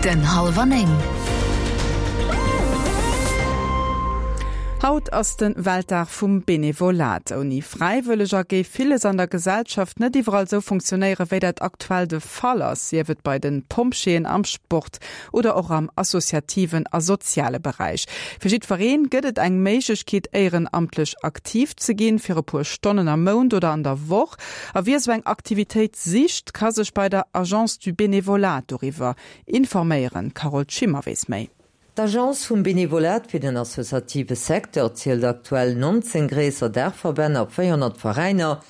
Den hallwer 9. Haut ass de Weltdag vum Benevolat. Ouni Fräiwëlleger géif villes an der Gesellschaft net iwwerall esou funktionéieren, wéi dat aktuell de Fall ass, sief et bei de Pompjeeën, am Sport oder och am associativen a soziale Beräich. Fir jiddweree gëtt et eng Méiglechkeet, éierenamtlech aktiv ze ginn, fir e puer Stonnen am Mount oder an der Woch. A wie esou eng Aktivitéit sicht, ka sech bei der Agence du Bénévolat doriwwer informéieren. D'Carole Schimmer weess méi. D'Agence vum Benevolat fir den associative Secteur zielt aktuell 19 gréisser Daachverbänn a 400 Veräiner,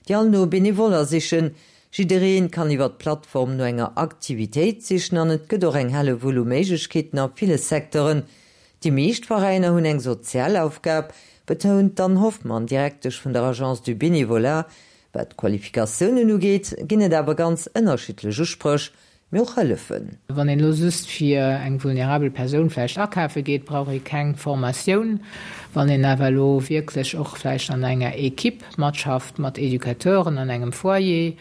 déi all no Benevoller sichen. Jiddereen kann iwwer d'Plattform no enger Aktivitéit sichen an et gëtt och eng Hellewull u Méiglechkeeten a ville Secteuren. Déi meescht Veräiner hunn eng sozial Aufgab, betount d'Anne Hoffmann, Direktesch vun der Agence du Bénévolat. Wat d'Qualifikatiounen ugeet, ginn et awer ganz ënnerschiddlech Uspréch, mee och Hëllefen. Wann een elo just fir eng vulnerabel Persoun vläicht akafe geet, brauch ee keng Formatioun. Wann een awer elo wierklech och vläicht an enger Equipe matschafft, mat Educateuren an engem Foyer,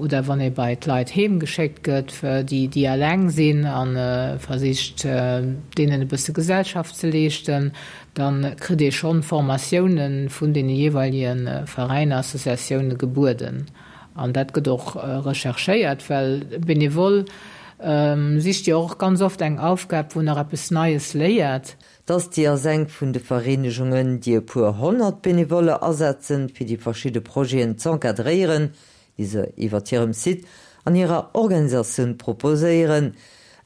oder wann ee bei d'Leit heem geschéckt gëtt, déi déi eleng sinn a versicht deenen e bësse Gesellschaft ze leeschten, da kritt ee schonn Formatioune vun deene jeeweilege Veräiner, Associatioune gebueden. An dat gëtt och recherchéiert, well e Benevole sicht jo och ganz oft eng Aufgab, wou en nach eppes Neies léiert. D'Asti ass eng vun de Vereenegungen, déi e puer 100 Benevolle asetzen, fir déi verschidde Projeten z'encadréieren, déi se iwwert hirem Site an hirer Organisatioun proposéieren.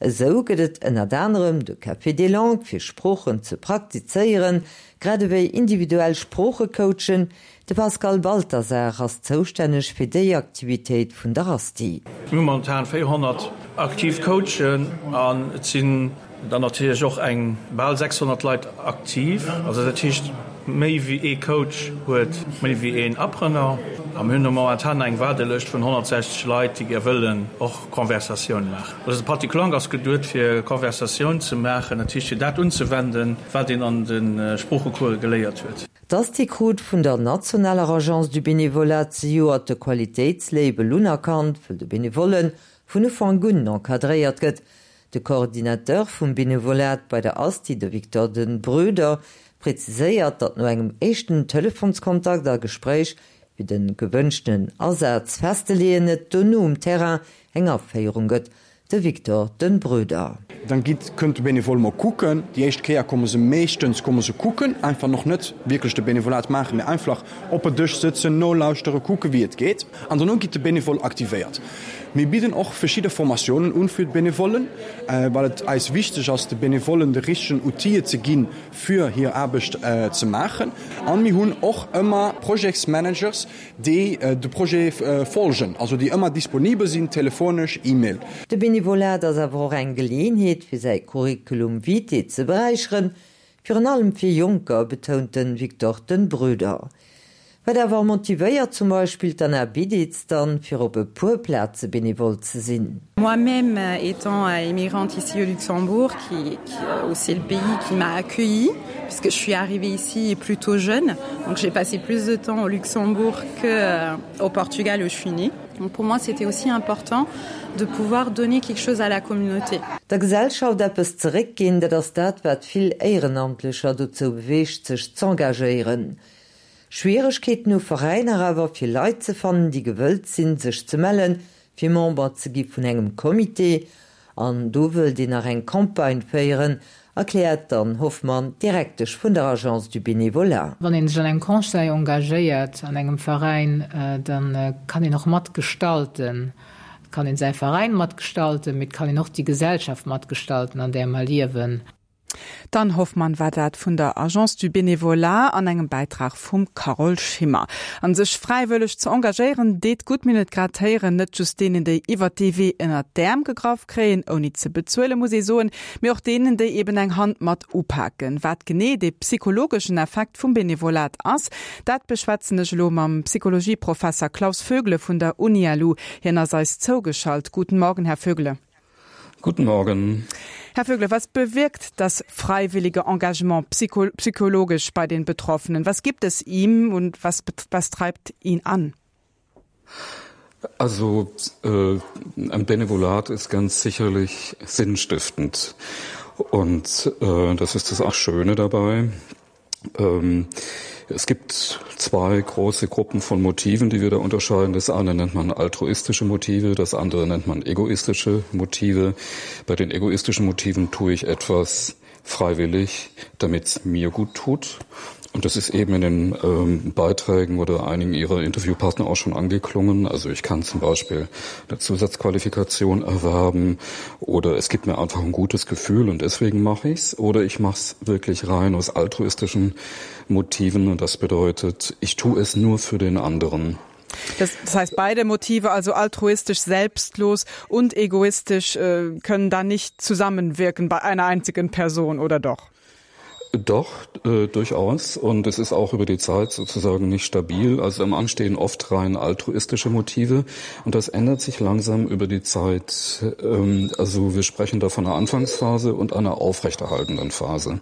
Esou gëtt et ënnert anerem de Café des langues fir Sproochen ze praktizéieren, grad ewéi individuell Sproochecoachen. De Pascal Balthasar ass zoustänneg fir déi Aktivitéit vun der Asti. Mir hu momentan 400 aktiv Coachen an et sinn Dann natierlech och eng bal 600 Leit aktiv. Also dat heescht, méi wéi ee Coach huet méi wéi een Apprenant. A mir hunn elo momentan eng Waardelëscht vun 160 Leit, déi gär wëllen och Conversatioun maachen. Also de Patrick Lang ass geduet fir Conversatioun ze maachen, dat heescht fir dat unzewenden, wat een an de Sproochecourse geléiert huet. D'Asti krut vun der nationaler Agence du Bénévolat zejoert de Qualitéitslabel unerkannt, wëll de Benevollen vun Ufank un encadréiert gëtt. De Coordinateur vum Benevolat bei der Asti, de Victor Den Bröder, präziséiert, datt no engem éischten Telefonskontakt a Gespréich fir de gewënschten Asaz festzeleeën, et dono um Terrain eng Aféierung gëtt. De Victor Den Bröder. Dann gitt, kënnt de Benevole mol kucken. Déi éischt Kéier komme se meeschtens komme se kucken, einfach noch net wierklech de Benevolat maachen, mee einfach op e Dësch sëtzen, nolauschteren, kucken wéi et geet. An dono gitt de Benevole aktivéiert. Mir bidden och verschidde Formatiounen un fir d'Benevollen, well et eis wichteg ass, de Benevollen de richtegen Outile ze ginn, fir hir Aarbecht ze maachen. An mir hunn och ëmmer Projetsmanagers, déi de Projet folgen, also déi ëmmer disponibel sinn, telefonesch, E-Mail. De Benevolat ass awer och eng Geleeënheet, fir säi Curriculum vitae ze beräicheren, Virun allem fir Jonker, betount de Victor Den Bröder. Wat awer motivéiert zum Beispill d'Anna Biditz dann, fir op e puer Plaze benevole ze sinn? Moi-même étant immigrante ici au Luxembourg, qui, qui c'est le pays qui m'a accueillie, puisque je suis arrivée ici plutôt jeune, donc j'ai passé plus de temps au Luxembourg que euh, au Portugal où je suis née. Donc pour moi c'était aussi important de pouvoir donner quelque chose à la communauté. Der Gesellschaft eppes zeréckginn, dat ass dat, wat vill Éierenamtlecher dozou beweegt, sech z'engagéieren. Schwieregkeeten hu Veräiner awer, fir Leit ze fannen, déi gewëllt sinn, sech ze mellen, fir Member ze gi vun engem Comité. An do wëllt een nach eng Campagne féieren, erkläert d'Anne Hoffmann, Direktesch vun der Agence du Bénévolat. Wann ee sech an engem Conseil engagéiert, an engem Veräin, da kann een och matgestalten. Et kann een säi Veräin matgestalten, mee et kann een och déi Gesellschaft matgestalten, an där mer liewen. D'Anne Hoffmann war dat vun der Agence du Bénévolat an engem Bäitrag vum Carole Schimmer. An sech fräiwëlleg ze engagéieren deet gutt, mir hunn et grad héieren, net just deenen, déi iwwert dee Wee ënnert d'Äerm gegraff kréien, ouni ze bezuelen, muss ee soen, mee och deenen, déi eben eng Hand mat upaken. Wat genee dee psychologeschen Effekt vum Benevolat ass, dat beschwätzen ech elo mam Psychologieprofesser Klaus Vögele vun der UniLu. Hien ass eis zougeschalt. Guten Morgen, Här Vögele. Guten Morgen. Herr Vögele, was bewirkt das freiwillige Engagement psycho psychologisch bei den Betroffenen? Was gibt es ihm und was, was treibt ihn an? Also äh, ein Benevolat ist ganz sicherlich sinnstiftend. Und äh, das ist das auch Schöne dabei. Ähm, es gibt zwei große Gruppen von Motiven, die wir da unterscheiden. Das eine nennt man altruistische Motive, das andere nennt man egoistische Motive. Bei den egoistischen Motiven tue ich etwas freiwillig, damit es mir gut tut. Und das ist eben in den ähm, Beiträgen oder einigen ihrer Interviewpartner auch schon angeklungen. Also ich kann zum Beispiel eine Zusatzqualifikation erwerben oder es gibt mir einfach ein gutes Gefühl und deswegen mache ich's. Oder ich mache es wirklich rein aus altruistischen Motiven und das bedeutet, ich tue es nur für den anderen. Das, das heißt, beide Motive, also altruistisch, selbstlos und egoistisch, äh, können da nicht zusammenwirken bei einer einzigen Person oder doch? Doch, äh, durchaus. Und es ist auch über die Zeit sozusagen nicht stabil. Also am Anstehen oft rein altruistische Motive. Und das ändert sich langsam über die Zeit. Ähm, also wir sprechen da von einer Anfangsphase und einer aufrechterhaltenden Phase.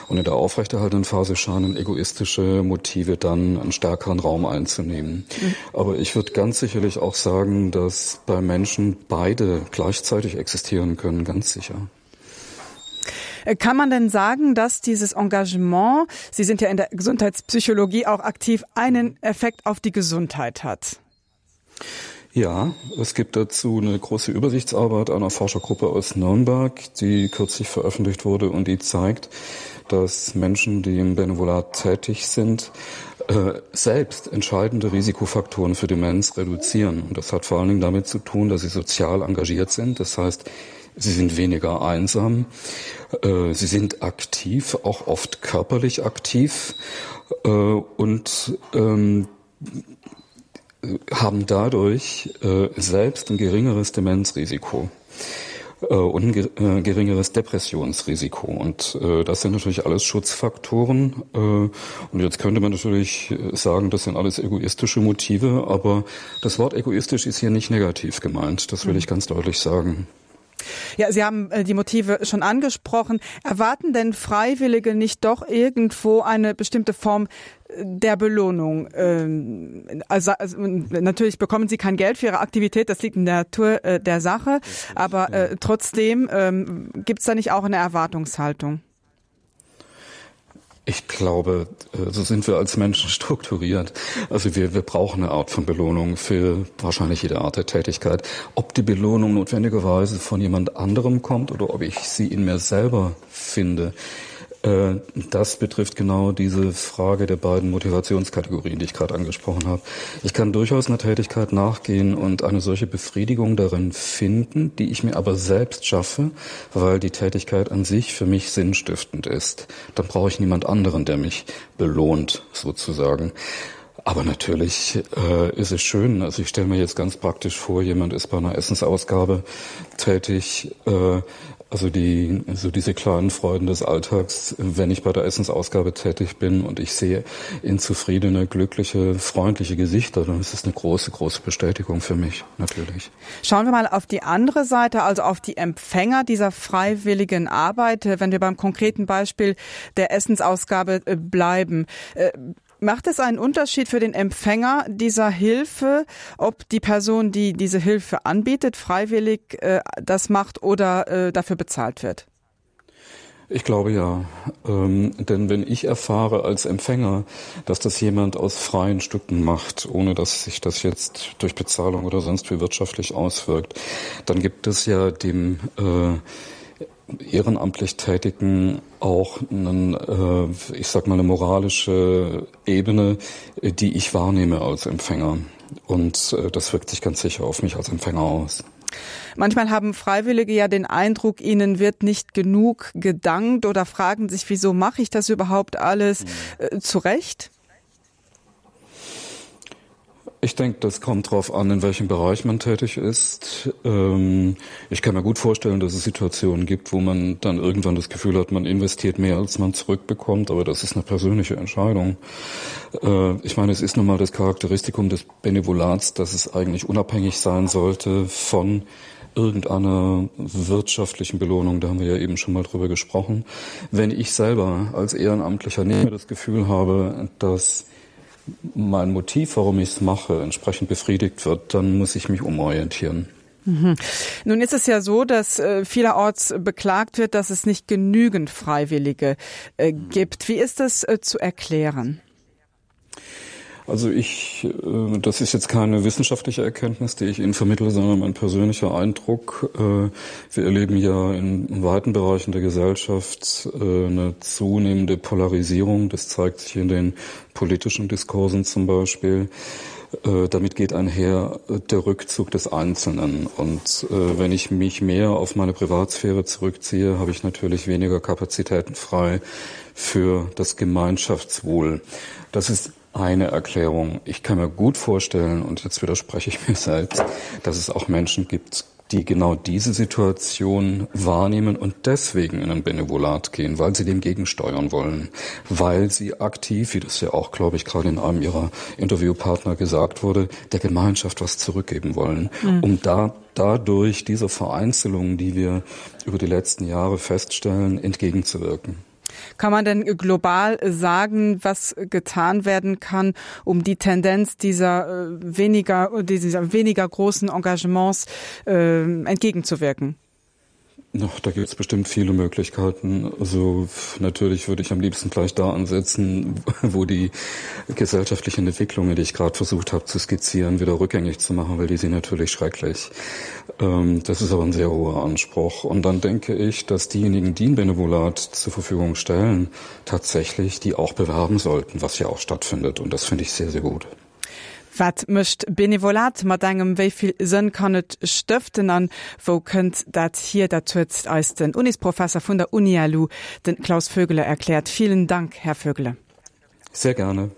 Und in der aufrechterhaltenden Phase scheinen egoistische Motive dann einen stärkeren Raum einzunehmen. Mhm. Aber ich würde ganz sicherlich auch sagen, dass bei Menschen beide gleichzeitig existieren können, ganz sicher. Äh, kann man denn sagen, dass dieses Engagement, Sie sind ja in der Gesundheitspsychologie auch aktiv, einen Effekt auf die Gesundheit hat? Ja, es gibt dazu eine große Übersichtsarbeit einer Forschergruppe aus Nürnberg, die kürzlich veröffentlicht wurde und die zeigt, dass Menschen, die im Benevolat tätig sind, äh, selbst entscheidende Risikofaktoren für Demenz reduzieren. Und das hat vor allen Dingen damit zu tun, dass sie sozial engagiert sind. Das heißt, sie sind weniger einsam, äh, sie sind aktiv, auch oft körperlich aktiv äh, und ähm, haben dadurch äh, selbst ein geringeres Demenzrisiko äh, und ein äh, geringeres Depressionsrisiko. Und äh, das sind natürlich alles Schutzfaktoren. Äh, und jetzt könnte man natürlich äh, sagen, das sind alles egoistische Motive, aber das Wort egoistisch ist hier nicht negativ gemeint. Das will mhm. ich ganz deutlich sagen. Ja, Sie haben äh, die Motive schon angesprochen. Erwarten denn Freiwillige nicht doch irgendwo eine bestimmte Form äh, der Belohnung? Ähm, also, also natürlich bekommen Sie kein Geld für Ihre Aktivität, das liegt in der Natur äh, der Sache, aber äh, trotzdem ähm, gibt es da nicht auch eine Erwartungshaltung? Ich glaube, äh, so sind wir als Menschen strukturiert. Also wir, wir brauchen eine Art von Belohnung für wahrscheinlich jede Art der Tätigkeit. Ob die Belohnung notwendigerweise von jemand anderem kommt oder ob ich sie in mir selber finde, Äh, das betrifft genau diese Frage der beiden Motivationskategorien, die ich gerade angesprochen habe. Ich kann durchaus einer Tätigkeit nachgehen und eine solche Befriedigung darin finden, die ich mir aber selbst schaffe, weil die Tätigkeit an sich für mich sinnstiftend ist. Dann brauche ich niemand anderen, der mich belohnt sozusagen. Aber natürlich äh, ist es schön. Also ich stelle mir jetzt ganz praktisch vor, jemand ist bei einer Essensausgabe tätig. Äh, also die so diese kleinen Freuden des Alltags, wenn ich bei der Essensausgabe tätig bin und ich sehe in zufriedene, glückliche, freundliche Gesichter, dann ist es eine große, große Bestätigung für mich natürlich. Schauen wir mal auf die andere Seite, also auf die Empfänger dieser freiwilligen Arbeit, wenn wir beim konkreten Beispiel der Essensausgabe äh, bleiben. Äh, macht es einen Unterschied für den Empfänger dieser Hilfe, ob die Person, die diese Hilfe anbietet, freiwillig äh, das macht oder äh, dafür bezahlt wird? Ich glaube ja. Ähm, denn wenn ich erfahre als Empfänger, dass das jemand aus freien Stücken macht, ohne dass sich das jetzt durch Bezahlung oder sonst wie wirtschaftlich auswirkt, dann gibt es ja dem äh, ehrenamtlich Tätigen auch einen, äh, ich sag mal eine moralische Ebene, die ich wahrnehme als Empfänger. Und äh, das wirkt sich ganz sicher auf mich als Empfänger aus. Manchmal haben Freiwillige ja den Eindruck, ihnen wird nicht genug gedankt oder fragen sich, wieso mache ich das überhaupt alles mhm. äh, zurecht? Ich denke, das kommt darauf an, in welchem Bereich man tätig ist. Ähm, ich kann mir gut vorstellen, dass es Situationen gibt, wo man dann irgendwann das Gefühl hat, man investiert mehr, als man zurückbekommt, aber das ist eine persönliche Entscheidung. Äh, ich meine, es ist nun mal das Charakteristikum des Benevolats, dass es eigentlich unabhängig sein sollte von irgendeiner wirtschaftlichen Belohnung, da haben wir ja eben schon mal drüber gesprochen. Wenn ich selber als Ehrenamtlicher nicht mehr das Gefühl habe, dass ich. mein Motiv, warum ich es mache, entsprechend befriedigt wird, dann muss ich mich umorientieren. Mhm. Nun ist es ja so, dass äh, vielerorts beklagt wird, dass es nicht genügend Freiwillige äh, gibt. Wie ist das äh, zu erklären? Also ich, äh, das ist jetzt keine wissenschaftliche Erkenntnis, die ich Ihnen vermittle, sondern mein persönlicher Eindruck. Äh, wir erleben ja in weiten Bereichen der Gesellschaft äh, eine zunehmende Polarisierung. Das zeigt sich in den politischen Diskursen zum Beispiel. Damit geht einher der Rückzug des Einzelnen. Und wenn ich mich mehr auf meine Privatsphäre zurückziehe, habe ich natürlich weniger Kapazitäten frei für das Gemeinschaftswohl. Das ist eine Erklärung. Ich kann mir gut vorstellen, und jetzt widerspreche ich mir selbst, dass es auch Menschen gibt, die genau diese Situation wahrnehmen und deswegen in ein Benevolat gehen, weil sie dem gegensteuern wollen, weil sie aktiv, wie das ja auch, glaube ich, gerade in einem ihrer Interviewpartner gesagt wurde, der Gemeinschaft was zurückgeben wollen, mhm. um da dadurch dieser Vereinzelung, die wir über die letzten Jahre feststellen, entgegenzuwirken. Kann man denn global sagen, was getan werden kann, um die Tendenz dieser äh, weniger, dieser weniger großen Engagements äh, entgegenzuwirken? Noch, da gibt es bestimmt viele Möglichkeiten. Also natürlich würde ich am liebsten gleich da ansetzen, wo die gesellschaftlichen Entwicklungen, die ich gerade versucht habe zu skizzieren, wieder rückgängig zu machen, weil die sind natürlich schrecklich. Ähm, das ist aber ein sehr hoher Anspruch. Und dann denke ich, dass diejenigen, die ein Benevolat zur Verfügung stellen, tatsächlich die auch bewerben sollten, was ja auch stattfindet. Und das finde ich sehr, sehr gut. Wat mécht Benevolat mat engem, wéi vill Sënn kann et stëften an wou kënnt dat hier? Dat huet eis den Unisprofesser vun der UniLu, den Klaus Vögele erkläert. Vielen Dank, Här Vögele. Sehr gerne.